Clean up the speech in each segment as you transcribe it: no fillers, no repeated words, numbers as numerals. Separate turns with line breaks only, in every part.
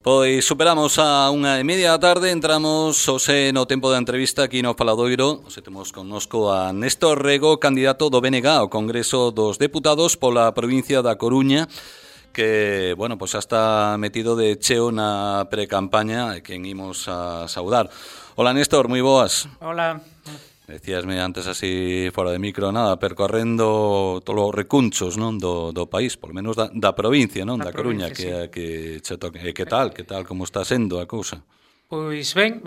Pois superamos a 1:30 da tarde, entramos hoxe no tempo da entrevista aquí no Faladoiro. Hoxe temos connosco a Néstor Rego, candidato do BNG ao Congreso dos Deputados pola provincia da Coruña, que, bueno, pois xa está metido de cheo na precampaña e quen imos a saudar. Hola Néstor, moi boas.
Hola.
Decíasme antes así fora de micro, nada, percorrendo todos os recunchos, non, do país, polo menos da provincia, non, da Coruña,
sí.
que che toque. Que tal, como está sendo a cousa?
Pois ben,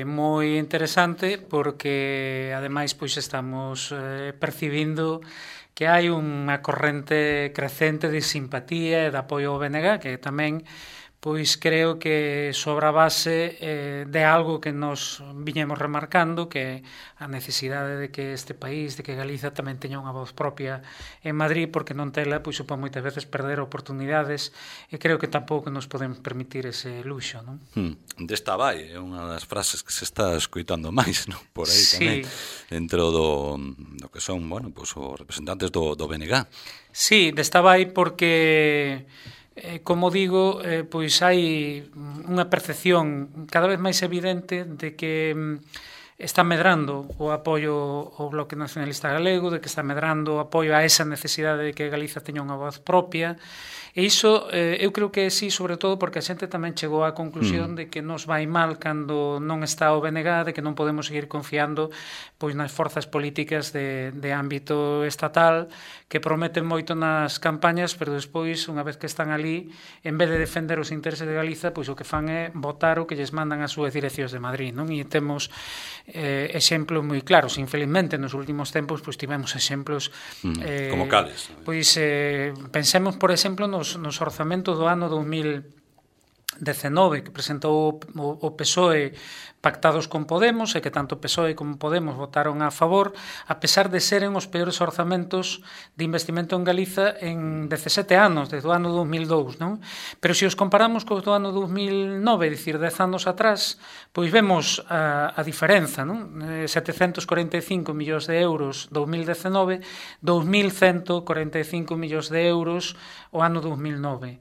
moi interesante porque ademais pois estamos percibindo que hai unha corrente crecente de simpatía e de apoio ao BNG, que tamén pois creo que sobre a base de algo que nos viñemos remarcando, que a necesidade de que este país, de que Galiza tamén teña unha voz propia en Madrid, porque non tela, pois supón moitas veces perder oportunidades, e creo que tampouco nos podemos permitir ese luxo, non?
Desta vai, é unha das frases que se está escoitando máis, non? Por aí
sí.
Tamén, dentro do que son, bueno, pois os representantes do BNG.
Sí, desta vai porque... como digo, pois hai unha percepción cada vez máis evidente de que está medrando o apoio ao Bloque Nacionalista Galego, de que está medrando o apoio a esa necesidade de que Galiza teña unha voz propia, e iso eu creo que sí, sobre todo porque a xente tamén chegou á conclusión de que nos vai mal cando non está o BNG, de que non podemos seguir confiando pois nas forzas políticas de ámbito estatal que prometen moito nas campañas, pero despois, unha vez que están ali, en vez de defender os intereses de Galiza, pois o que fan é votar o que lles mandan as súas direccións de Madrid, non? E temos exemplos moi claros. Infelizmente, nos últimos tempos, pois tivemos exemplos
como cales?
Pois pensemos, por exemplo, nos orzamentos do ano 2019 que presentou o PSOE pactados con Podemos, e que tanto PSOE como Podemos votaron a favor, a pesar de seren os peores orzamentos de investimento en Galiza en 17 anos, desde o ano 2002, non? Pero se os comparamos cos do ano 2009, dicir, 10 anos atrás, pois vemos a diferenza, non? 745 millóns de euros 2019, 2.145 millóns de euros o ano 2009.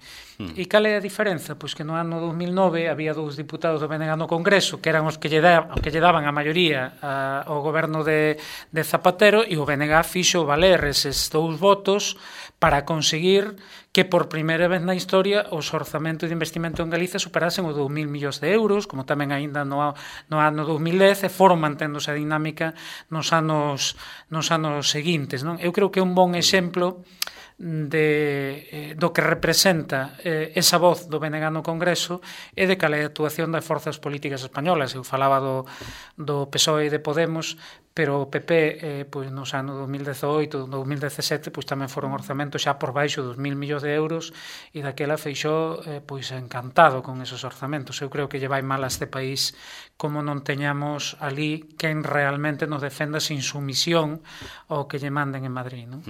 E cal é a diferenza? Pois que no ano 2009 había dous diputados do BNG no Congreso que eran os que lle daban a maioría ao goberno de Zapatero, e o BNG fixo valer eses dous votos para conseguir que por primeira vez na historia os orzamentos de investimento en Galiza superasen os 2.000 millóns de euros, como tamén aínda no ano 2010, e foron manténdose a dinámica nos anos seguintes, non? Eu creo que é un bon exemplo do que representa esa voz do BNG no Congreso e de cal é a actuación das forzas políticas españolas. Eu falaba do PSOE e de Podemos, pero o PP pois nos anos 2018, 2017 pois tamén foron orzamentos xa por baixo dos 1.000 millóns de euros, e daquela Feixóo pois encantado con esos orzamentos. Eu creo que lle vai mal a este país como non teñamos ali quen realmente nos defenda sin sumisión ao que lle manden en Madrid, non?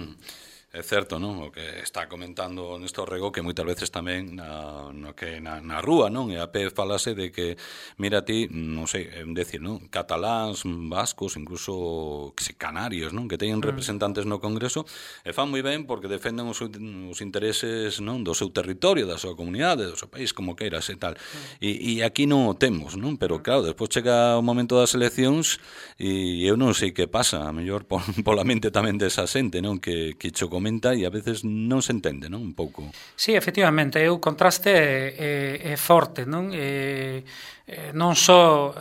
É certo, non? O que está comentando Néstor Rego, que moitas veces tamén na rúa, non? E a pé falase de que, mira ti, non sei, decir, non? Cataláns, vascos, incluso canarios, non? Que teñen representantes no Congreso, e fan moi ben porque defenden os intereses, non? Do seu territorio, da súa comunidade, do seu país, como queiras e tal. E aquí non o temos, non? Pero claro, despois chega o momento das eleccións e eu non sei que pasa, a mellor pola mente tamén desa xente, non? Que cho comenta e a veces non se entende, non? Un pouco.
Sí, efectivamente, o contraste é forte, non? Non só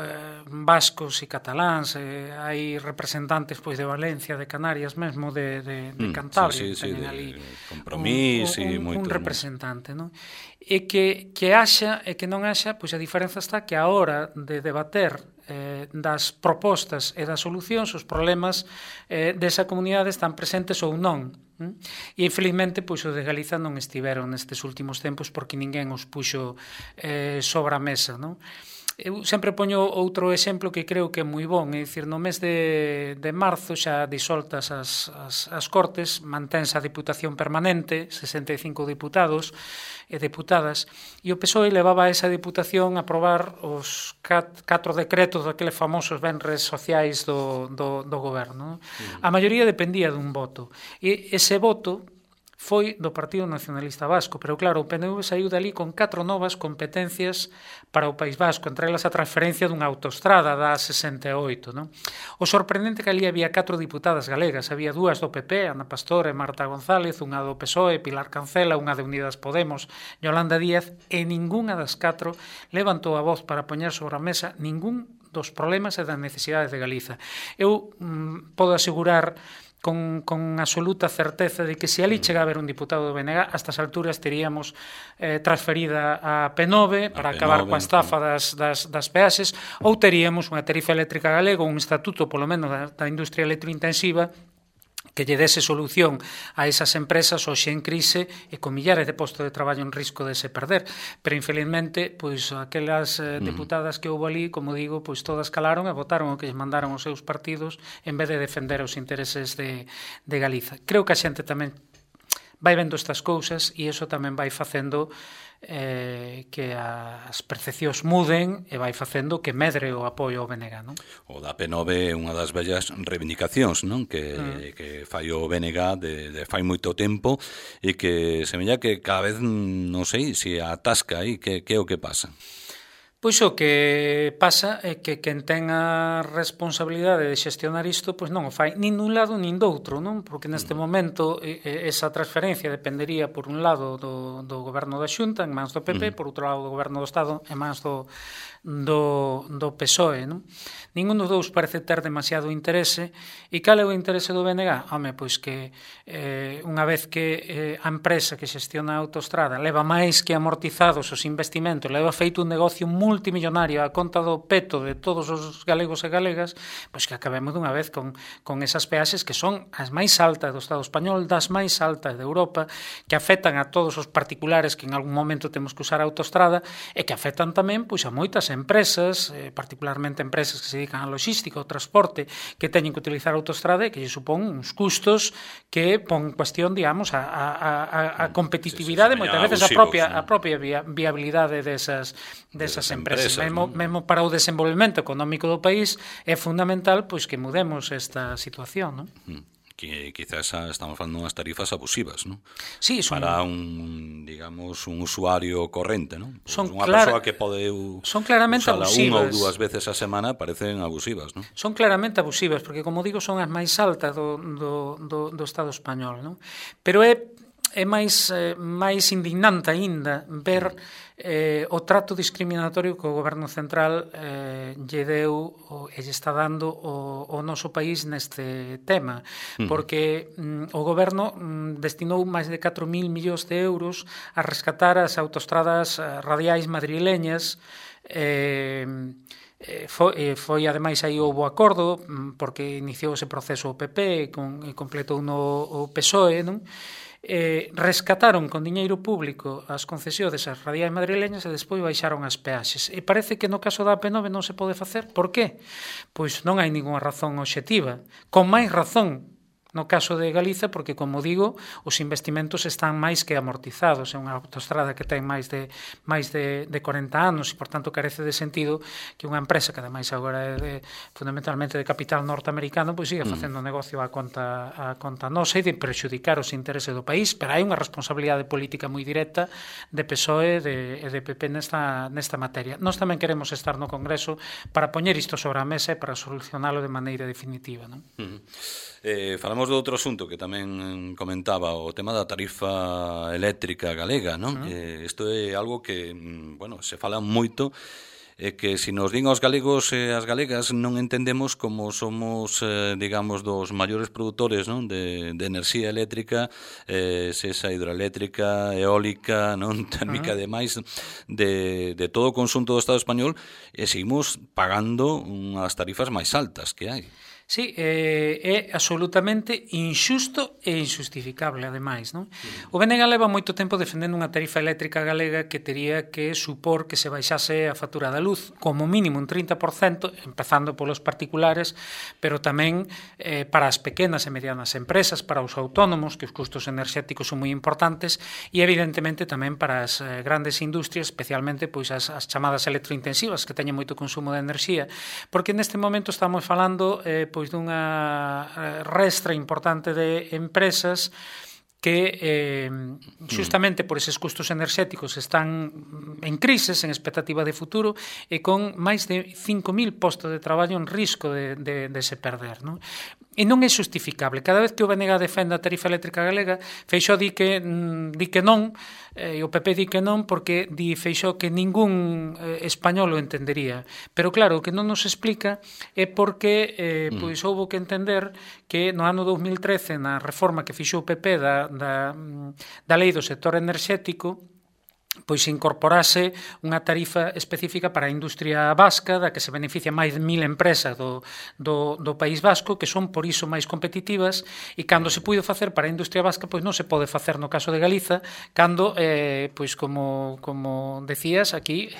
vascos e cataláns, hai representantes pois de Valencia, de Canarias, mesmo de Cantabria,
sí,
teñen ali
Compromís e
un representante, non? E que haxa e que non haxa, pois a diferenza está que a hora de debater das propostas e das solucións, os problemas desa comunidade están presentes ou non. E infelizmente pois os de Galiza non estiveron nestes últimos tempos porque ninguén os puxo sobre a mesa, non? Eu sempre poño outro exemplo que creo que é moi bon, é dicir, no mes de marzo xa disoltas as Cortes, mantense a Diputación Permanente, 65 diputados e deputadas, e o PSOE levaba a esa Diputación a aprobar os 4 decretos daqueles famosos venres sociais do goberno. A maioría dependía dun voto, e ese voto foi do Partido Nacionalista Vasco, pero claro, o PNV saiu dali con 4 novas competencias para o País Vasco, entre elas a transferencia dunha autostrada da 68, non? O sorprendente que ali había 4 diputadas galegas, había 2 do PP, Ana Pastor e Marta González, unha do PSOE, Pilar Cancela, unha de Unidas Podemos, Yolanda Díaz, e ningunha das 4 levantou a voz para poñer sobre a mesa ningún dos problemas e das necesidades de Galiza. Eu podo asegurar con absoluta certeza de que se ali chega a haber un diputado do BNG, a estas alturas teríamos transferida a P9 para acabar coa estafa das peaxes, ou teríamos unha tarifa eléctrica galega, un estatuto polo menos da industria electrointensiva que lle dese solución a esas empresas hoxe en crise e con millares de postos de traballo en risco de se perder. Pero, infelizmente, pois aquelas deputadas que houve ali, como digo, pois todas calaron e votaron o que lles mandaron os seus partidos en vez de defender os intereses de Galiza. Creo que a xente tamén vai vendo estas cousas e iso tamén vai facendo que as percepcións muden e vai facendo que medre o apoio ao BNG, non?
O da P9 é unha das bellas reivindicacións, non? Que fai o BNG de fai moito tempo e que semella que cada vez non sei se atasca aí, que é o que pasa?
Pois o que pasa é que quen ten a responsabilidade de xestionar isto pois non o fai nin dun lado nin doutro, non? Porque neste momento esa transferencia dependería por un lado do goberno da Xunta en mans do PP, por outro lado do goberno do Estado en mans do PSOE, non? Ningún dos dous parece ter demasiado interese. E cal é o interese do BNG? Home, pois que unha vez que a empresa que xestiona a autostrada leva máis que amortizados os investimentos, leva feito un negocio multimillonario a conta do peto de todos os galegos e galegas, pois que acabemos dunha vez con esas peaxes que son as máis altas do Estado español, das máis altas de Europa, que afectan a todos os particulares que en algún momento temos que usar a autostrada e que afectan tamén pois a moitas empresas, particularmente empresas que se dedican a logística, ao transporte, que teñen que utilizar a autostrada e que lle supón uns custos que pon cuestión, digamos, a competitividade, moitas veces a propia viabilidade desas empresas. Mesmo para o desenvolvemento económico do país é fundamental pois que mudemos esta situación, non?
Que quizás estamos falando unhas tarifas abusivas, non?
Sí,
para un, digamos, un usuario corrente, non?
Son
unha persoa que pode
son claramente abusivas.
Unha ou dúas veces a semana parecen abusivas, non?
Son claramente abusivas, porque, como digo, son as máis altas do Estado español, non? Pero é máis indignante aínda ver o trato discriminatorio que o Goberno Central lle deu e lle está dando o noso país neste tema, porque o Goberno destinou máis de 4.000 millóns de euros a rescatar as autostradas radiais madrileñas. Foi ademais aí houve acordo porque iniciou ese proceso o PP e completou o PSOE, non? Rescataron con diñeiro público as concesións desas radiais madrileñas e despois baixaron as peaxes. E parece que no caso da P9 non se pode facer. Por qué? Pois non hai ningunha razón obxectiva. Con máis razón no caso de Galiza, porque, como digo, os investimentos están máis que amortizados. É unha autostrada que ten máis de 40 anos e, por tanto, carece de sentido que unha empresa que, ademais, agora é fundamentalmente de capital norteamericano, pois siga facendo negocio a conta nosa e de prexudicar os intereses do país, pero hai unha responsabilidade política moi directa de PSOE e de PP nesta materia. Nós tamén queremos estar no Congreso para poñer isto sobre a mesa e para solucionalo de maneira definitiva, non?
Falamos de outro asunto que tamén comentaba, o tema da tarifa eléctrica galega, non? Isto é algo que, bueno, se fala moito, que se nos din aos galegos e as galegas non entendemos como somos, digamos, dos maiores produtores, non? de enerxía eléctrica, se esa hidroeléctrica, eólica, non térmica, demais, de todo o conxunto do Estado español, e seguimos pagando unhas tarifas máis altas que hai.
Sí, é absolutamente injusto e injustificable, ademais, non? O BNG leva moito tempo defendendo unha tarifa eléctrica galega que tería que supor que se baixase a factura da luz, como mínimo un 30%, empezando polos particulares, pero tamén para as pequenas e medianas empresas, para os autónomos, que os custos enerxéticos son moi importantes, e evidentemente tamén para as grandes industrias, especialmente pois as chamadas electrointensivas, que teñen moito consumo de enerxía, porque neste momento estamos falando pois dunha restra importante de empresas que xustamente por eses custos enerxéticos están en crises, en expectativa de futuro, e con máis de 5.000 postos de traballo en risco de se perder, non? E non é justificable. Cada vez que o BNG defende a tarifa eléctrica galega, Feixóo di que non, e o PP di que non, porque di Feixóo que ningún español o entendería. Pero claro, o que non nos explica é porque pois houbo que entender que no ano 2013, na reforma que fixou o PP da lei do sector enerxético, pois incorporase unha tarifa específica para a industria vasca, da que se beneficia máis de 1.000 empresas do País Vasco, que son por iso máis competitivas, e cando se puido facer para a industria vasca, pois non se pode facer no caso de Galiza, cando, pois como decías aquí,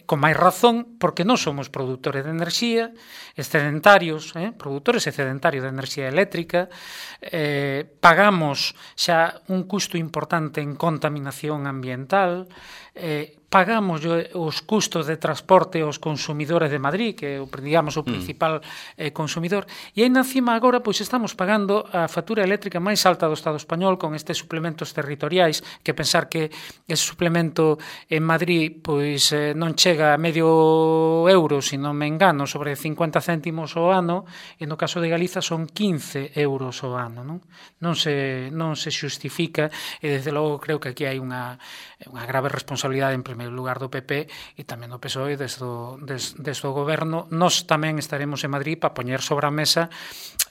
con máis razón, porque non somos produtores de enerxía, excedentarios, produtores excedentarios de enerxía eléctrica, pagamos xa un custo importante en contaminación ambiental, pagamos os custos de transporte aos consumidores de Madrid, que é, digamos, o principal consumidor, e aí encima agora pois estamos pagando a factura eléctrica máis alta do Estado español con estes suplementos territoriais, que pensar que ese suplemento en Madrid pois non chega a medio euro, se non me engano, sobre 50 céntimos ao ano, e no caso de Galiza son 15 euros ao ano, non se xustifica, e desde logo creo que aquí hai unha grave responsabilidade en primeiro lugar do PP e tamén do PSOE desde o goberno. Nós tamén estaremos en Madrid para poñer sobre a mesa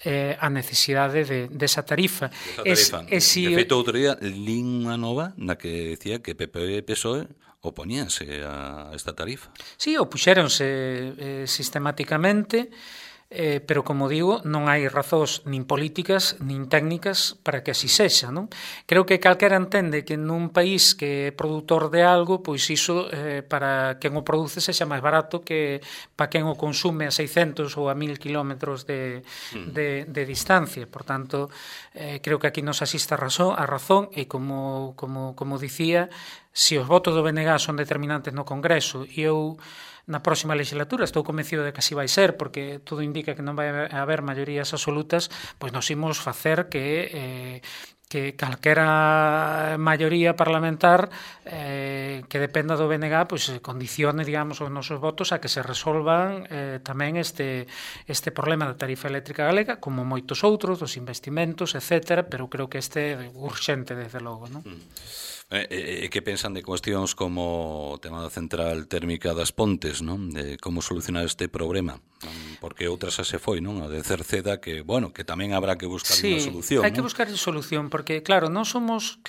a necesidade desa tarifa.
De feito, outro día, lín unha nova na que decía que PP e PSOE opoñíanse a esta tarifa.
Sí, opuxéronse sistemáticamente, pero, como digo, non hai razóns nin políticas nin técnicas para que así sexa, non? Creo que calquera entende que nun país que é produtor de algo, pois iso para quen o produce sexa máis barato que para quen o consume a 600 ou a 1.000 kilómetros de distancia. Por tanto, creo que aquí nos asiste a razón e como dicía, se os votos do BNG son determinantes no Congreso e eu na próxima legislatura estou convencido de que así vai ser, porque todo indica que non vai haber maiorías absolutas, pois nos imos facer que calquera maioría parlamentar que dependa do BNG pois condicione, digamos, os nosos votos a que se resolvan tamén este problema da tarifa eléctrica galega, como moitos outros, dos investimentos, etc., pero creo que este é urxente, desde logo, non?
Que pensan de cuestións como o tema da central térmica das Pontes, non? De como solucionar este problema, porque outras xa se foi, non? A de Cerceda, que, bueno, que tamén habrá que buscar unha solución.
Sí, hai que buscar solución, porque, claro, non somos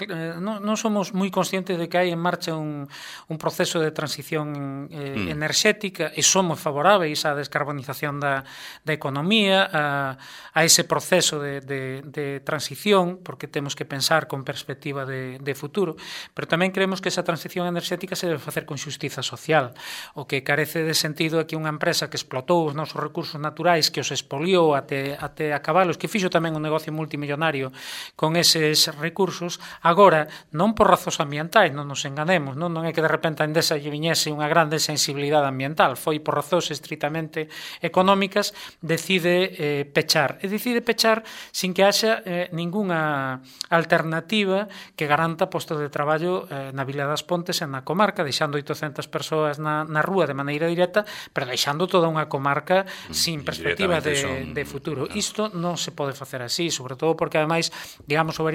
moi conscientes de que hai en marcha un proceso de transición enerxética e somos favoráveis á descarbonización da economía, a ese proceso de transición, porque temos que pensar con perspectiva de futuro, pero tamén creemos que esa transición enerxética se debe facer con xustiza social. O que carece de sentido é que unha empresa que explotou os nosos recursos naturais, que os expoliou até acabalos, que fixo tamén un negocio multimillonario con eses recursos, agora, non por razóns ambientais, non nos enganemos, non é que de repente a Endesa lle viñese unha grande sensibilidade ambiental, foi por razóns estritamente económicas, decide pechar. E decide pechar sin que haxa ningunha alternativa que garanta postos de traballo na Vila das Pontes e na comarca, deixando 800 persoas na rúa de maneira directa, pero deixando toda unha comarca sin perspectiva de futuro. Isto non se pode facer así, sobre todo porque, ademais, digamos, o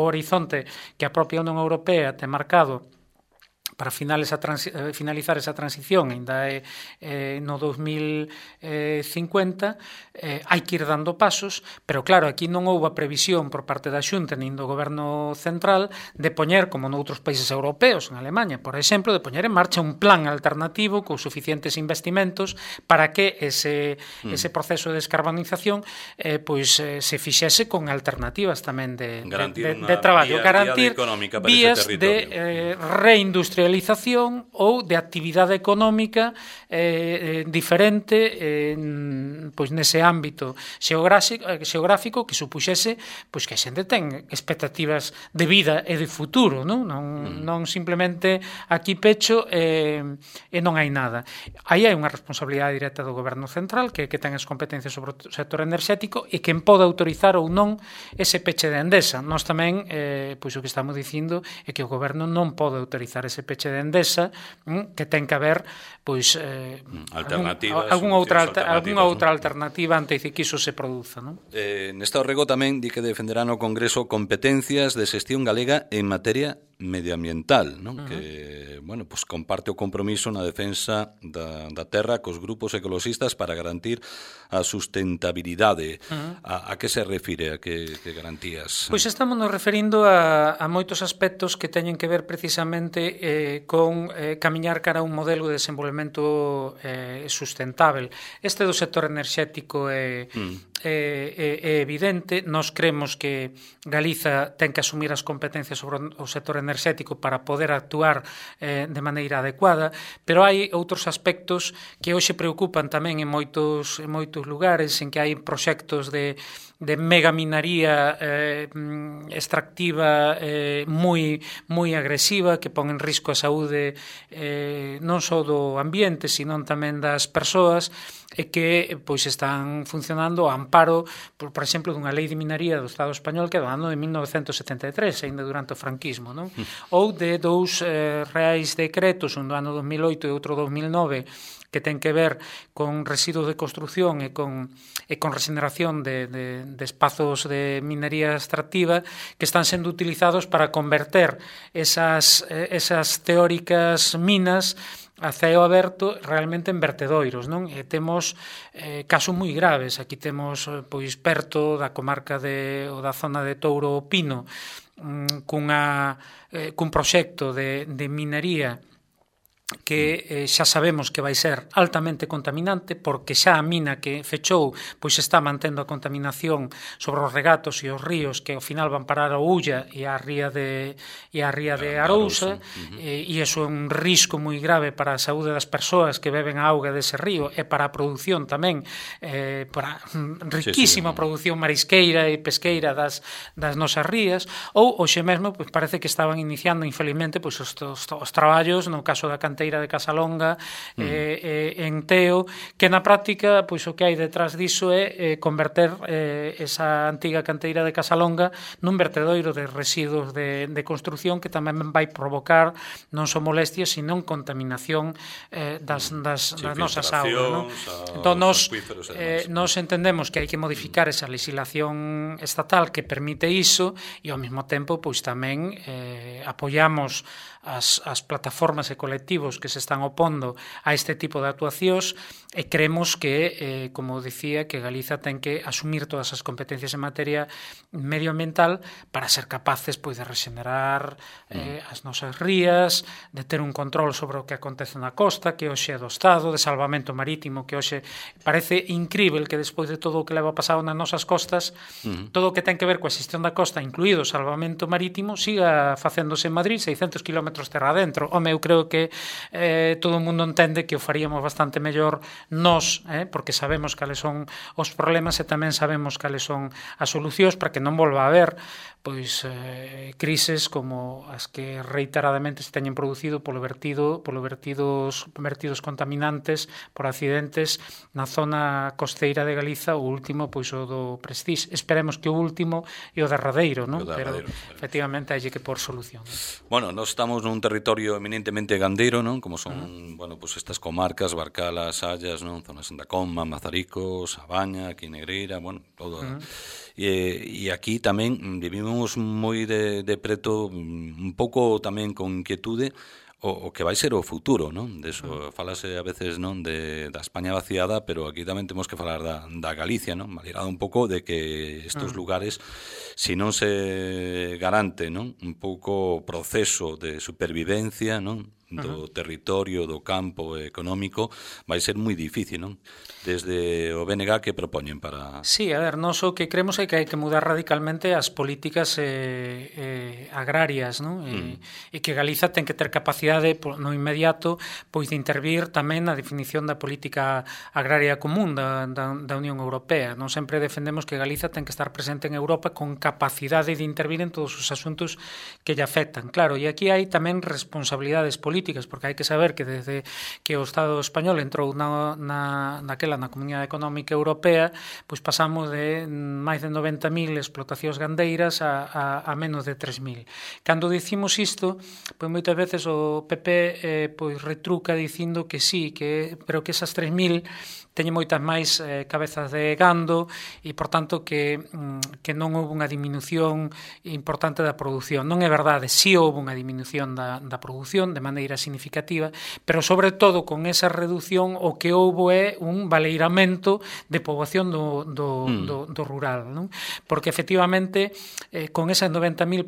horizonte que a propia Unión Europea ten marcado para finalizar esa transición ainda no 2050, hai que ir dando pasos, pero claro, aquí non houve a previsión por parte da Xunta nin do Goberno Central de poñer, como noutros países europeos, en Alemanha, por exemplo, de poñer en marcha un plan alternativo con suficientes investimentos para que ese proceso de descarbonización se fixese con alternativas tamén de traballo, garantir vías de reindustrialización industrialización ou de actividade económica diferente pois nese ámbito xeográfico que supuxese pois que a xente ten expectativas de vida e de futuro, non simplemente aquí pecho e non hai nada. Aí hai unha responsabilidade directa do Goberno Central que ten as competencias sobre o sector enerxético e quen pode autorizar ou non ese peche de Endesa. Nós tamén, pois o que estamos dicindo é que o Goberno non pode autorizar ese peche de Endesa, que ten que haber pois algunha outra alternativa antes de que iso se produza, non?
Neste orrego tamén di que defenderá no Congreso competencias de xestión galega en materia medioambiental, non? Que, bueno, pues comparte o compromiso na defensa da terra cos grupos ecologistas para garantir a sustentabilidade. A que se refire? A que garantías?
Pois estamos nos referindo a moitos aspectos que teñen que ver precisamente con camiñar cara a un modelo de desenvolvemento sustentável. Este do sector enerxético é evidente. Nós cremos que Galiza ten que asumir as competencias sobre o sector enerxético para poder actuar de maneira adecuada, pero hai outros aspectos que hoxe preocupan tamén en moitos lugares en que hai proxectos de megaminaría extractiva moi agresiva que pon en risco a saúde non só do ambiente, sino tamén das persoas e que pois están funcionando ao amparo, por exemplo, dunha lei de minería do Estado español que é do ano de 1973, ainda durante o franquismo, non? Ou de dous reais decretos, un do ano 2008 e outro 2009, que ten que ver con residuos de construción e con regeneración de espazos de minería extractiva que están sendo utilizados para converter esas teóricas minas a ceo aberto realmente en vertedoiros, non? E temos casos moi graves. Aquí temos pois perto da comarca ou da zona de Touro Pino cun proxecto de minería que xa sabemos que vai ser altamente contaminante porque xa a mina que fechou pois está mantendo a contaminación sobre os regatos e os ríos que ao final van parar ao Ulla e a ría de Arousa e iso é un risco moi grave para a saúde das persoas que beben a auga dese río e para a produción tamén para riquísima produción marisqueira e pesqueira das nosas rías ou hoxe mesmo pois parece que estaban iniciando infelizmente pois os traballos no caso da canteira de Casalonga en Teo, que na práctica pois o que hai detrás diso é converter esa antiga canteira de Casalonga nun vertedoiro de residuos de construción que tamén vai provocar non só molestias, sino contaminación das nosas augas, non? Entón, nos entendemos que hai que modificar esa legislación estatal que permite iso e ao mesmo tempo pois tamén apoiamos as plataformas e colectivos que se están opondo a este tipo de actuacións e creemos que, como dicía, que Galiza ten que asumir todas as competencias en materia medioambiental para ser capaces pois de regenerar as nosas rías, de ter un control sobre o que acontece na costa, que hoxe é do Estado, de salvamento marítimo, que hoxe parece incrível que despois de todo o que leva pasado nas nosas costas, todo o que ten que ver coa xestión da costa, incluído o salvamento marítimo, siga facéndose en Madrid 600 km terra adentro. Home, eu creo que todo o mundo entende que o faríamos bastante mellor nós, porque sabemos cales son os problemas e tamén sabemos cales son as solucións para que non volva a haber pois crises como as que reiteradamente se teñen producido polo vertidos contaminantes por accidentes na zona costeira de Galiza, o último pois o do Prestige. Esperemos que o último e o derradeiro, non? Pero efectivamente hai que por solución.
Bueno, nós estamos nun territorio eminentemente gandeiro, non? Como son, bueno, pues estas comarcas, Barcalas, Sallas, non? Zonas da Comma, Mazaricos, Abaña, aquí Negreira, bueno, todo. E aquí tamén vivimos moi de preto, un pouco tamén con inquietude o que vai ser o futuro, non? Deso falase a veces, non, da España vaciada, pero aquí tamén temos que falar da Galicia, non? Malgrado un pouco de que estos lugares, se non se garante, non, un pouco proceso de supervivencia, non, do territorio, do campo económico, vai ser moi difícil, non? Desde o BNG que propoñen para...
Sí, a ver, nós o que creemos é que hai que mudar radicalmente as políticas agrarias, non? E que Galiza ten que ter capacidade no inmediato pois de intervir tamén na definición da política agraria común da Unión Europea. Non sempre defendemos que Galiza ten que estar presente en Europa con capacidade de intervir en todos os asuntos que lle afectan. Claro, e aquí hai tamén responsabilidades políticas, porque hai que saber que desde que o Estado español entrou naquela na Comunidade Económica Europea, pois pasamos de máis de 90.000 explotacións gandeiras a menos de 3.000. Cando dicimos isto, pois moitas veces o PP pois retruca dicindo que sí, pero que esas 3.000 teñen moitas máis cabezas de gando e, por tanto, que non houve unha diminución importante da produción. Non é verdade, sí houve unha diminución da produción de maneira significativa, pero, sobre todo, con esa reducción o que houve é un valeiramento de poboación do rural, non? Porque, efectivamente, con esas 90.000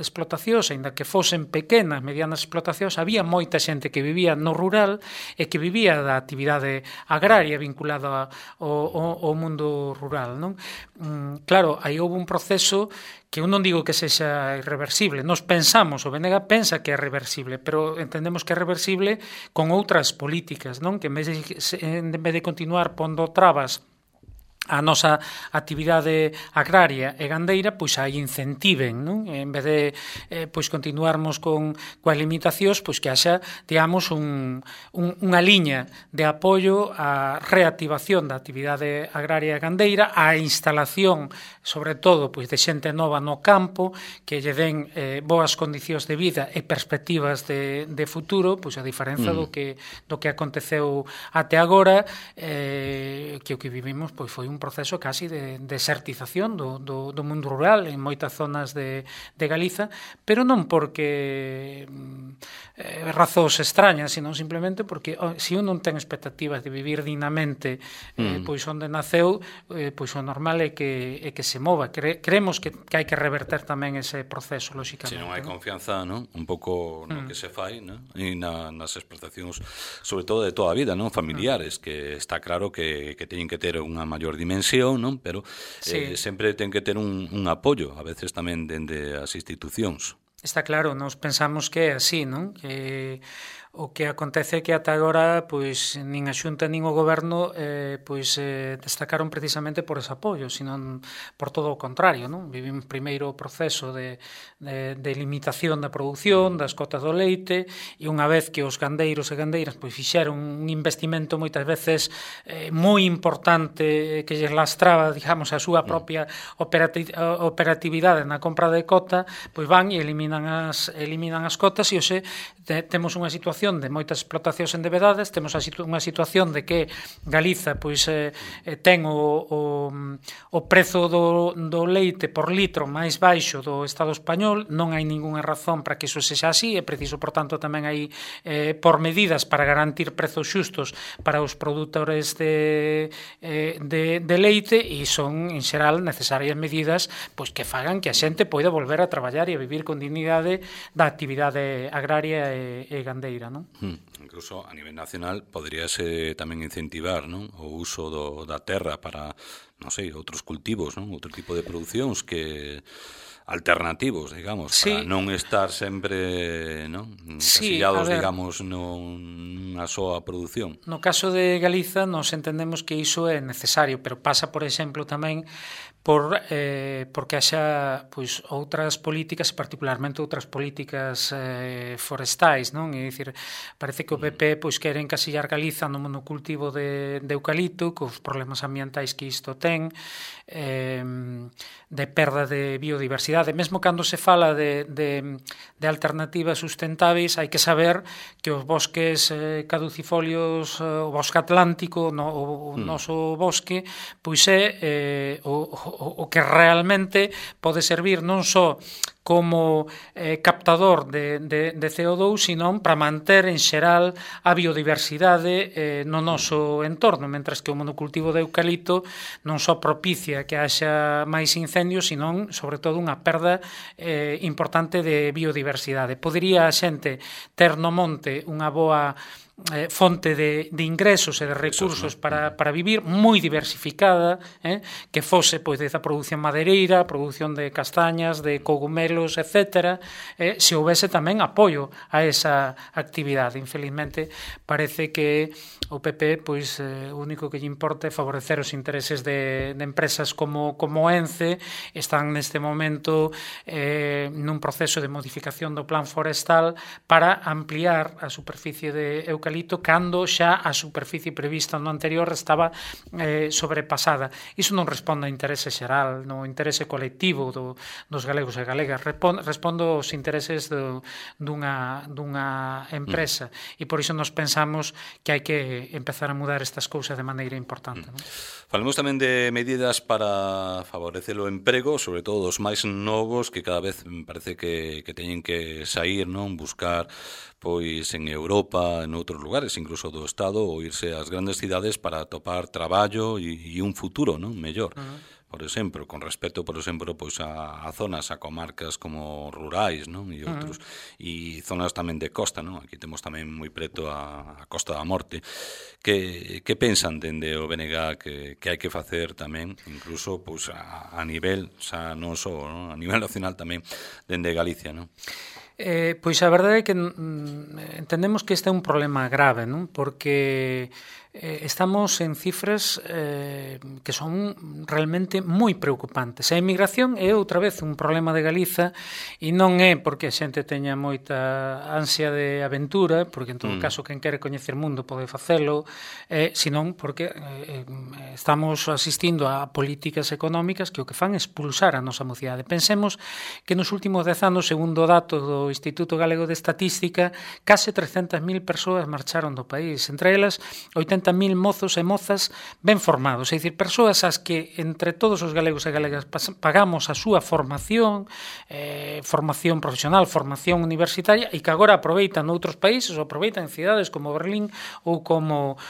explotacións, ainda que fosen pequenas, medianas explotacións, había moita xente que vivía no rural e que vivía da actividade agraria vinculada ao mundo rural, non? Claro, aí houve un proceso que eu non digo que sexa irreversible. Nos pensamos, o BNG pensa que é reversible, pero entendemos que é reversible con outras políticas, non? Que en vez de continuar pondo trabas a nosa actividade agraria e gandeira, pois a incentiven, non? En vez de pois continuarmos coas limitacións, pois que haxa, digamos, unha liña de apoio á reactivación da actividade agraria e gandeira, á instalación, sobre todo, pois de xente nova no campo, que lle den boas condicións de vida e perspectivas de futuro, pois a diferenza do que aconteceu até agora, que o que vivimos pois foi un proceso casi de desertización do mundo rural en moitas zonas de Galiza, pero non porque razóns extrañas, sino simplemente porque se un non ten expectativas de vivir dignamente pois onde naceu, pois o normal é que se mova. Creemos que hai que reverter tamén ese proceso, lóxicamente.
Se non hai confianza, non? Un pouco no que se fai, non? E nas exportacións, sobre todo de toda a vida, non? Familiares, que está claro que teñen que ter unha maior dimensión, non? Pero sempre ten que ter un apoio, a veces tamén dende as institucións.
Está claro, nós pensamos que é así, non? Que o que acontece é que ata agora pois nin a Xunta nin o Goberno destacaron precisamente por ese apoio, senón por todo o contrario, non? Vivimos primeiro o proceso de limitación da produción, das cotas do leite, e unha vez que os gandeiros e gandeiras pois fixeron un investimento moitas veces moi importante que lles lastraba, digamos, a súa propia operatividade na compra de cota, pois van e eliminan as cotas, e hoxe temos unha situación de moitas explotacións endebedadas, temos unha situación de que Galiza pois ten o prezo do leite por litro máis baixo do Estado español. Non hai ningunha razón para que iso sexa así, é preciso, por tanto, tamén hai por medidas para garantir prezos xustos para os produtores de leite, e son, en xeral, necesarias medidas pois que fagan que a xente poida volver a traballar e a vivir con dignidade da actividade agraria e gandeira, non?
Incluso a nivel nacional poderíase tamén incentivar, non? O uso da terra para, non sei, outros cultivos, non? Outro tipo de producións que alternativos, digamos, para non estar sempre, non? Encasillados, digamos, nunha soa produción.
No caso de Galiza nos entendemos que iso é necesario, pero pasa, por exemplo, tamén porque haxa pois outras políticas, particularmente outras políticas forestais, non? É dicir, parece que o PP pois quere encasillar Galiza no monocultivo de eucalipto, cos problemas ambientais que isto ten, de perda de biodiversidade. Mesmo cando se fala de alternativas sustentáveis, hai que saber que os bosques caducifolios, o bosque atlántico, o noso bosque, pois é o que realmente pode servir non só como captador de CO2, sino para manter en xeral a biodiversidade no noso entorno, mentras que o monocultivo de eucalipto non só propicia que haxa máis incendios, sino, sobre todo, unha perda importante de biodiversidade. Podería a xente ter no monte unha boa fonte de ingresos e de recursos para vivir, moi diversificada, que fose pois desde a produción madeireira, a produción de castañas, de cogumelos, etc., se houvese tamén apoio a esa actividade. Infelizmente, parece que o PP, pois, o único que lle importa é favorecer os intereses de empresas como ENCE. Están neste momento nun proceso de modificación do plan forestal para ampliar a superficie de eucalipto cando xa a superficie prevista no anterior estaba sobrepasada. Iso non responde ao interese xeral, no interese colectivo dos galegos e galegas, responde aos intereses dunha empresa, e por iso nos pensamos que hai que empezar a mudar estas cousas de maneira importante.
Falemos tamén de medidas para favorecer o emprego, sobre todo dos máis novos, que cada vez parece que teñen que sair, non, buscar pois en Europa, en outros lugares, incluso do Estado, ou irse ás grandes cidades para atopar traballo e un futuro, non, mellor. Por exemplo, con respecto, por exemplo, pois a zonas, a comarcas como rurais, non, e outros, e zonas tamén de costa, non? Aquí temos tamén moi preto a Costa da Morte. Que pensan dende o BNG que hai que facer tamén, incluso pois a nivel, xa non só, non? A nivel nacional tamén, dende Galicia, non?
Pois a verdade é que entendemos que este é un problema grave, non? Porque estamos en cifras que son realmente moi preocupantes. A emigración é outra vez un problema de Galiza, e non é porque a xente teña moita ansia de aventura, porque en todo caso quen quere coñecer mundo pode facelo, senón porque estamos asistindo a políticas económicas que o que fan é expulsar a nosa mocidade. Pensemos que nos últimos 10 anos, segundo datos do Instituto Galego de Estatística, case 300.000 persoas marcharon do país, entre elas 80.000 mozos e mozas ben formados, é dicir, persoas as que entre todos os galegos e galegas pagamos a súa formación, formación profesional, formación universitaria, e que agora aproveitan noutros países, ou aproveitan en cidades como Berlín ou como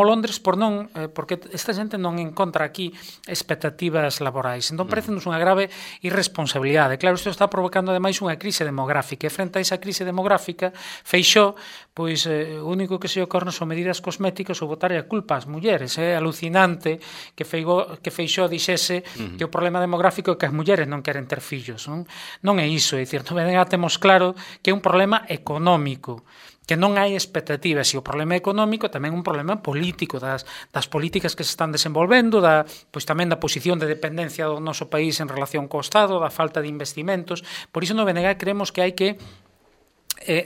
Londres, porque esta xente non encontra aquí expectativas laborais. Entón, parecenos unha grave irresponsabilidade. Claro, isto está provocando ademais unha crise demográfica, e frente a esa crise demográfica, Feixóo, pois, o único que se ocorre son medidas cosméticas ou botar a culpa ás mulleres. É alucinante que Feixóo dixese que o problema demográfico é que as mulleres non queren ter fillos. Non é iso, é dicir, temos claro que é un problema económico, que non hai expectativas, e o problema económico tamén é un problema político, das políticas que se están desenvolvendo, pois tamén da posición de dependencia do noso país en relación co Estado, da falta de investimentos. Por iso no BNG creemos que hai que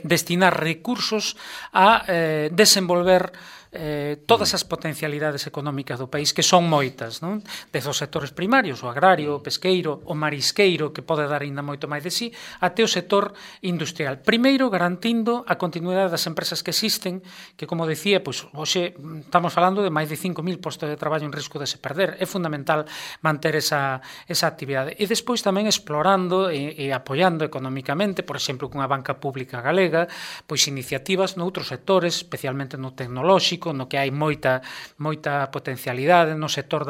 destinar recursos a desenvolver todas as potencialidades económicas do país, que son moitas, non? Desde os sectores primarios, o agrario, o pesqueiro, o marisqueiro, que pode dar ainda moito máis de sí, até o sector industrial. Primeiro, garantindo a continuidade das empresas que existen, que, como decía, pois, hoxe estamos falando de máis de 5.000 postos de traballo en risco de se perder. É fundamental manter esa actividade. E despois tamén explorando e apoiando económicamente, por exemplo, cunha banca pública galega, pois iniciativas noutros sectores, especialmente no tecnolóxico, no que hai moita potencialidade, no sector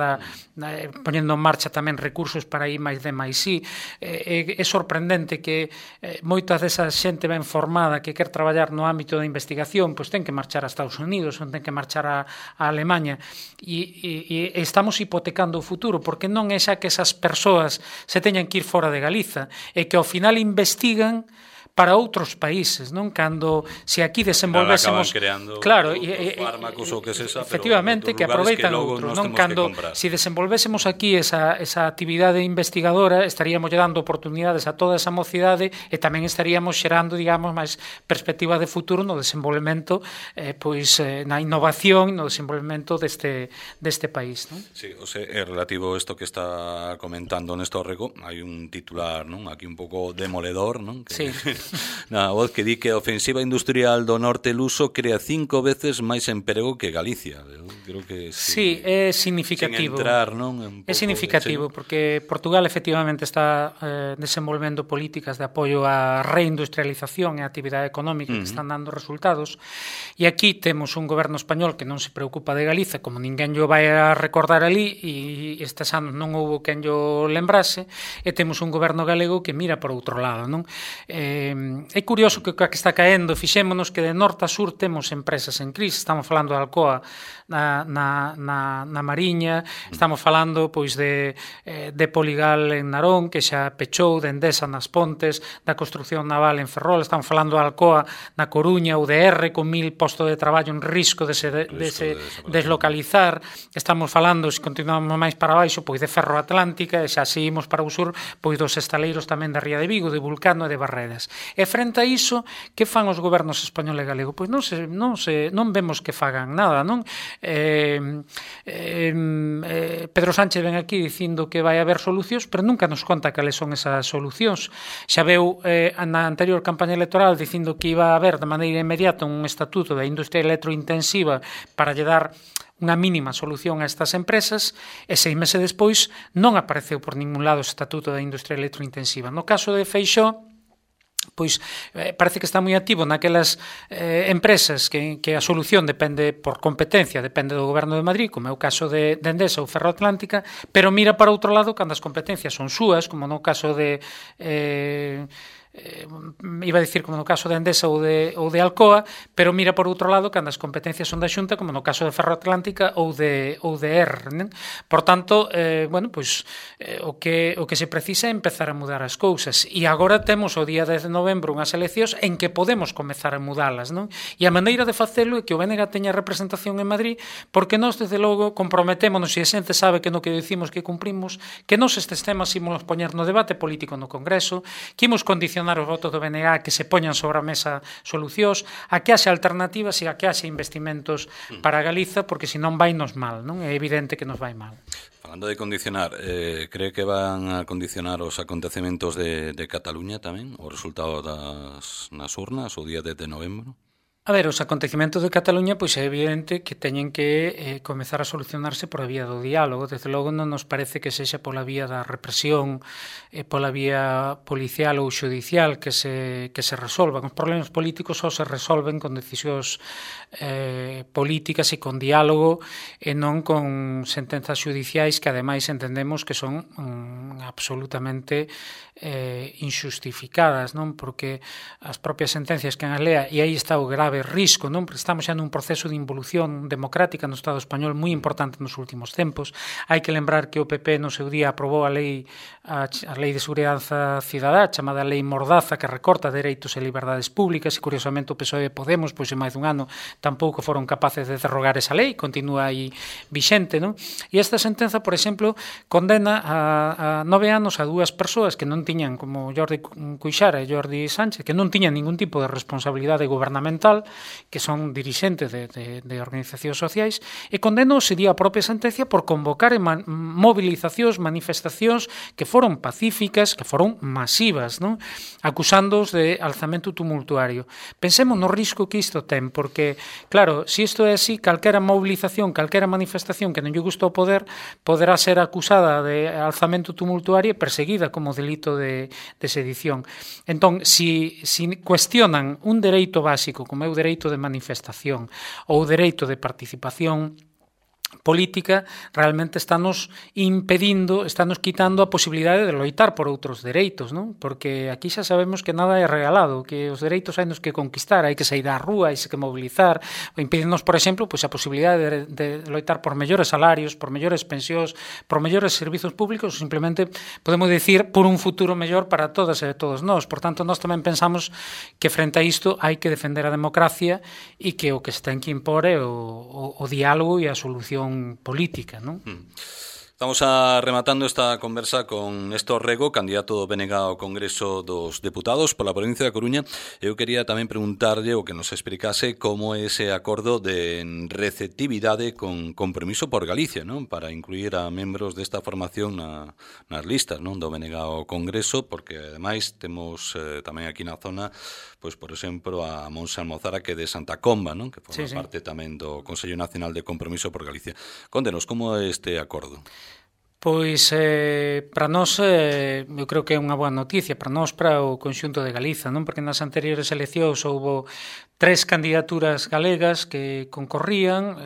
poñendo en marcha tamén recursos para I máis D máis I. É sorprendente que moita desa xente ben formada que quer traballar no ámbito da investigación, pois ten que marchar a Estados Unidos, ten que marchar a Alemanha, e estamos hipotecando o futuro, porque non é xa que esas persoas se teñan que ir fora de Galiza, e que ao final investigan para outros países, non? Cando se aquí desenvolvésemos,
claro, fármacos ou que sexa,
efectivamente, que aproveitan outros, non? Cando se desenvolvésemos aquí esa actividade investigadora, estaríamos dando oportunidades a toda esa mocidade, e tamén estaríamos xerando, digamos, máis perspectiva de futuro no desenvolvemento, pois na innovación, no desenvolvemento deste país, non?
Sí, é relativo a isto que está comentando Néstor Rego, hai un titular, non? Aquí un pouco demoledor, non?
Sí.
Na voz que di que a ofensiva industrial do norte luso crea 5 veces máis emprego que Galicia. creo que
sí, é significativo.
Sin entrar, non?
É significativo, porque Portugal efectivamente está desenvolvendo políticas de apoio á reindustrialización e á actividade económica que están dando resultados, e aquí temos un goberno español que non se preocupa de Galiza, como ninguén yo vai a recordar ali, e estes anos non houbo quen yo lembrase, e temos un goberno galego que mira por outro lado, non? É curioso que o que está caendo, fixémonos que de norte a sur temos empresas en crise, estamos falando de Alcoa na Mariña, estamos falando pois de Poligal en Narón, que xa pechou, de Endesa nas Pontes, da construción naval en Ferrol, estamos falando de Alcoa na Coruña, UDR, con 1000 postos de traballo en risco de se deslocalizar, estamos falando, se continuamos máis para baixo, pois de Ferro Atlántica, e xa seguimos para o sur, pois dos estaleiros tamén da Ría de Vigo, de Vulcano e de Barredas. E frente a iso, que fan os gobernos español e galego? Pois non vemos que fagan nada, non? Pedro Sánchez ven aquí dicindo que vai haber solucións, pero nunca nos conta cales son esas solucións. Xa veu na anterior campaña electoral dicindo que iba a haber de maneira inmediata un estatuto da industria electrointensiva para lle dar unha mínima solución a estas empresas, e 6 meses despois non apareceu por ningún lado o estatuto da industria electrointensiva. No caso de Feixóo, pois parece que está moi activo naquelas empresas que a solución depende por competencia, depende do goberno de Madrid, como é o caso de Endesa ou Ferro Atlántica, pero mira para outro lado cando as competencias son súas, como no caso de iba a dicir como no caso de Endesa ou de Alcoa, pero mira por outro lado cando as competencias son da Xunta, como no caso de Ferro Atlántica ou de ERR, né? Por tanto, o que se precisa é empezar a mudar as cousas, e agora temos o día 10 de novembro unhas eleccións en que podemos comezar a mudalas, non? E a maneira de facelo é que o BNG teña representación en Madrid, porque nós, desde logo, comprometémonos, e a xente sabe que no que dicimos que cumprimos, que nós estes temas imos poñer no debate político no Congreso, que imos condicionar os votos do BNG, que se poñan sobre a mesa solucións, a que haxe alternativas e a que haxe investimentos para Galiza, porque senón vai nos mal, non? É evidente que nos vai mal.
Falando de condicionar, cree que van a condicionar os acontecementos de Cataluña tamén, o resultado nas urnas o día 10 de novembro?
A ver, os acontecimentos de Cataluña pois é evidente que teñen que comezar a solucionarse por a vía do diálogo. Desde logo non nos parece que sexa pola vía da represión, pola vía policial ou xudicial que se resolvan. Os problemas políticos só se resolven con decisións políticas e con diálogo, e non con sentenzas xudiciais que ademais entendemos que son absolutamente injustificadas, non? Porque as propias sentencias que as lea, e aí está o grave risco, non? Porque estamos xa nun proceso de involución democrática no Estado español moi importante nos últimos tempos. Hai que lembrar que o PP no seu día aprobou a lei de seguridade cidadá, chamada Lei Mordaza, que recorta dereitos e liberdades públicas, e curiosamente o PSOE e Podemos, pois en máis dun ano, tampouco foron capaces de derrogar esa lei, continúa aí vixente, non? E esta sentenza, por exemplo, condena a 9 anos a 2 persoas que non tiñan, como Jordi Cuixart e Jordi Sánchez, que non tiñan ningún tipo de responsabilidade gubernamental, que son dirixentes de organizacións sociais, e condeno sería a propia sentencia por convocar movilizacións, manifestacións que foron pacíficas, que foron masivas, non? Acusándoos de alzamento tumultuario. Pensemos no risco que isto ten, porque, claro, se isto é así, calquera movilización, calquera manifestación que non lle gusta o poder, poderá ser acusada de alzamento tumultuario e perseguida como delito de sedición. Entón, si cuestionan un dereito básico, como é o dereito de manifestación ou o dereito de participación política, realmente estános impedindo, estános quitando a posibilidade de loitar por outros dereitos, non? Porque aquí xa sabemos que nada é regalado, que os dereitos hai nos que conquistar, hai que sair á rúa, hai que mobilizar, ou impedimos, por exemplo, pois a posibilidade de loitar por mellores salarios, por mellores pensións, por mellores servizos públicos, ou simplemente podemos dicir por un futuro mellor para todas e todos nós. Por tanto, nós tamén pensamos que frente a isto hai que defender a democracia e que o que se ten que impor é o diálogo e a solución política, non?
Estamos rematando esta conversa con Néstor Rego, candidato do BNG ao Congreso dos Deputados pola provincia da Coruña. Eu quería tamén preguntarlle o que nos explicase como é ese acordo de receptividade con Compromiso por Galicia, non? Para incluir a membros desta formación nas listas, non? Do BNG ao Congreso, porque ademais temos tamén aquí na zona, pois por exemplo, a Monse Almozara, que é de Santa Comba, non? Que forma parte tamén do Consello Nacional de Compromiso por Galicia. Contenos, como é este acordo?
Pois para nós eu creo que é unha boa noticia para nós, para o conxunto de Galiza, non? Porque nas anteriores eleccións houbo 3 candidaturas galegas que concorrían,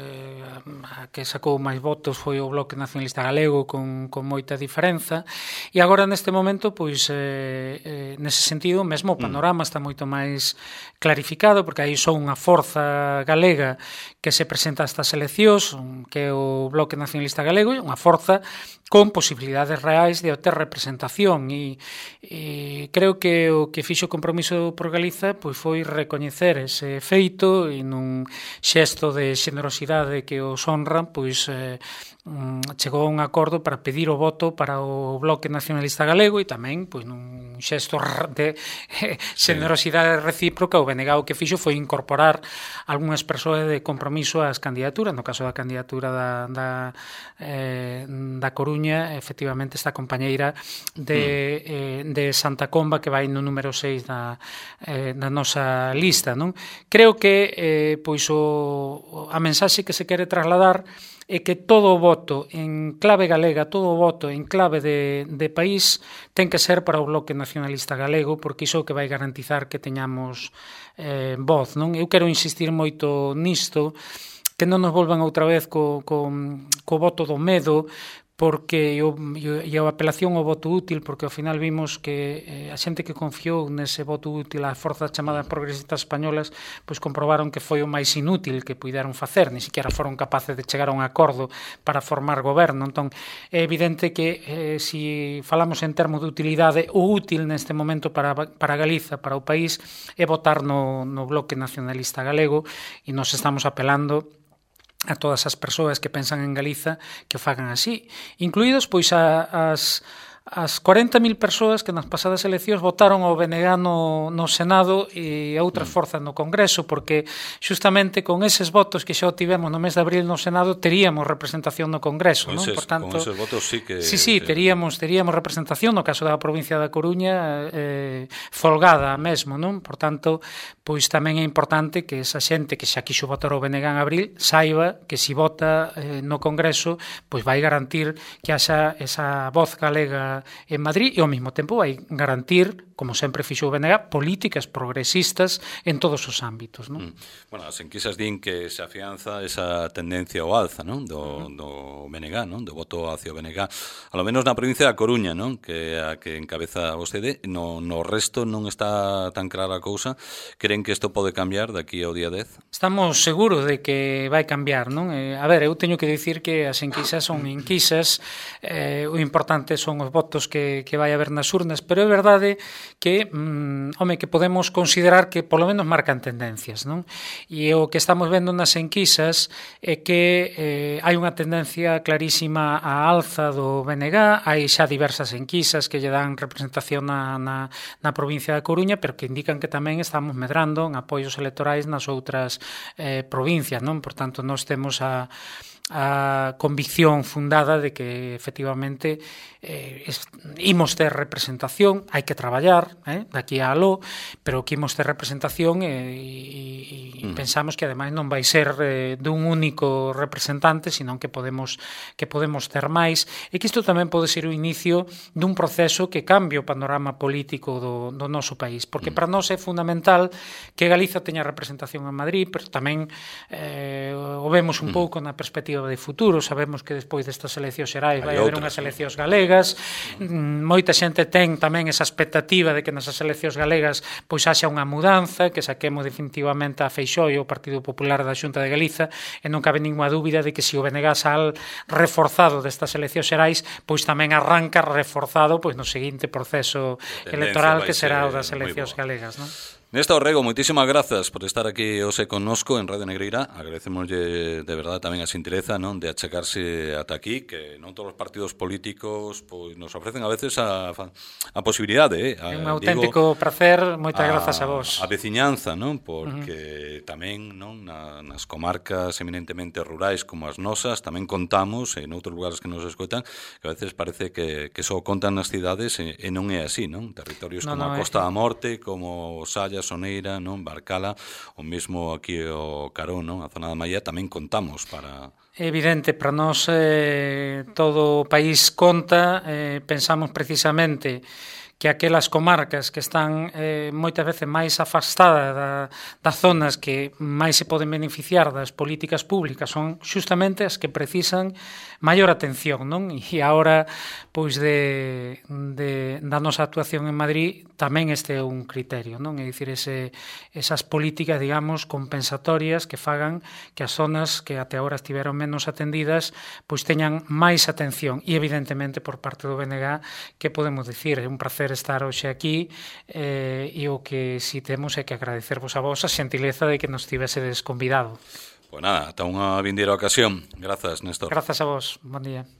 a que sacou máis votos foi o Bloque Nacionalista Galego con moita diferenza, e agora neste momento, pois nese sentido, mesmo o panorama está moito máis clarificado, porque aí só unha forza galega que se presenta a estas eleccións, que é o Bloque Nacionalista Galego, unha forza con posibilidades reais de obter representación, e creo que o que fixo o Compromiso por Galiza pois foi recoñecer ese feito e nun xesto de xenerosidade que os honra, pois chegou a un acordo para pedir o voto para o Bloque Nacionalista Galego, e tamén pois nun xesto de xenerosidade recíproca o BNG o que fixo foi incorporar algunhas persoas de compromiso ás candidaturas. No caso da candidatura da Coruña, efectivamente esta compañeira de Santa Comba, que vai no número 6 da nosa lista, non? Creo que pois a mensaxe que se quere trasladar é que todo o voto en clave galega, todo o voto en clave de país ten que ser para o Bloque Nacionalista Galego, porque iso é o que vai garantizar que teñamos voz, non? Eu quero insistir moito nisto, que non nos volvan outra vez co voto do medo, porque e a apelación ao voto útil, porque ao final vimos que a xente que confiou nese voto útil, as forzas chamadas progresistas españolas, pois comprobaron que foi o máis inútil que puideron facer, ni siquiera foron capaces de chegar a un acordo para formar goberno. Entón, é evidente que se falamos en termos de utilidade, o útil neste momento para Galiza, para o país, é votar no Bloque Nacionalista Galego, e nos estamos apelando a todas as persoas que pensan en Galiza que o fagan así, incluídos pois as 40.000 persoas que nas pasadas eleccións votaron ao BNG no Senado e a outras forzas no Congreso, porque xustamente con eses votos que xa tivemos no mes de abril no Senado teríamos representación no Congreso, non? Por tanto,
con eses votos sí que...
Sí, teríamos representación no caso da provincia da Coruña, folgada mesmo, non? Por tanto, pois tamén é importante que esa xente que xa quixo votar ao BNG en abril saiba que se vota no Congreso, pois vai garantir que haxa esa voz galega en Madrid, e ao mesmo tempo vai garantir, como sempre fixo o BNG, políticas progresistas en todos os ámbitos, non?
Bueno, as enquisas din que se afianza esa tendencia ao alza, non? Do BNG, non? Do voto hacia o BNG, a lo menos na provincia da Coruña, non? Que a que encabeza vostede, no resto non está tan clara a cousa. Creen que isto pode cambiar daqui ao día 10?
Estamos seguros de que vai cambiar, non? A ver, eu teño que dicir que as enquisas son enquisas, o importante son os votos que vai haber nas urnas, pero é verdade que, que podemos considerar que polo menos marcan tendencias, non? E o que estamos vendo nas enquisas é que hai unha tendencia clarísima á alza do BNG, hai xa diversas enquisas que lle dan representación na provincia da Coruña, pero que indican que tamén estamos medrando en apoios electorais nas outras provincias, non? Por tanto, nós temos a convicción fundada de que efectivamente imos ter representación, hai que traballar daqui a aló, pero que imos ter representación e pensamos que ademais non vai ser dun único representante, senón que podemos ter máis, e que isto tamén pode ser o inicio dun proceso que cambie o panorama político do noso país, porque para nós é fundamental que Galiza teña representación en Madrid, pero tamén o vemos un pouco na perspectiva de futuro. Sabemos que despois destas eleccións xerais vai haber unhas eleccións galegas. Moita xente ten tamén esa expectativa de que nesas eleccións galegas pois haxa unha mudanza, que saquemos definitivamente a Feixóo e o Partido Popular da Xunta de Galiza, e non cabe ninguna dúbida de que se o BNG sal reforzado destas eleccións xerais, pois tamén arranca reforzado pois no seguinte proceso electoral que será o das eleccións galegas, non?
Néstor Rego, moitísimas grazas por estar aquí hoxe connosco en Radio Negreira. Agradecemoslle de verdade tamén a xentileza, non, de achegarse ata aquí, que non todos os partidos políticos pois nos ofrecen a veces a posibilidade,
É un auténtico prazer, moitas grazas a vos.
A veciñanza, non, porque tamén, non, nas comarcas eminentemente rurais como as nosas, tamén contamos en outros lugares que nos escoitan, que a veces parece que só contan nas cidades e non é así, non? Territorios como a Costa da Morte, como Salla, Soneira, non, Barcala, o mesmo aquí o Carón, non, a zona da Maia, tamén contamos para...
É evidente, para nós todo o país conta, pensamos precisamente que aquelas comarcas que están moitas veces máis afastadas das zonas que máis se poden beneficiar das políticas públicas son justamente as que precisan maior atención, non? E agora, pois, da nosa actuación en Madrid, tamén este é un criterio, non? É dicir, esas políticas, digamos, compensatorias que fagan que as zonas que até agora estiveron menos atendidas, pois teñan máis atención. E, evidentemente, por parte do BNG, que podemos dicir? É un prazer estar hoxe aquí e o que si temos é que agradecervos a vos a xentileza de que nos tivesedes convidado.
Pois nada, ata unha vindeira ocasión. Grazas, Néstor.
Grazas a vos. Bon día.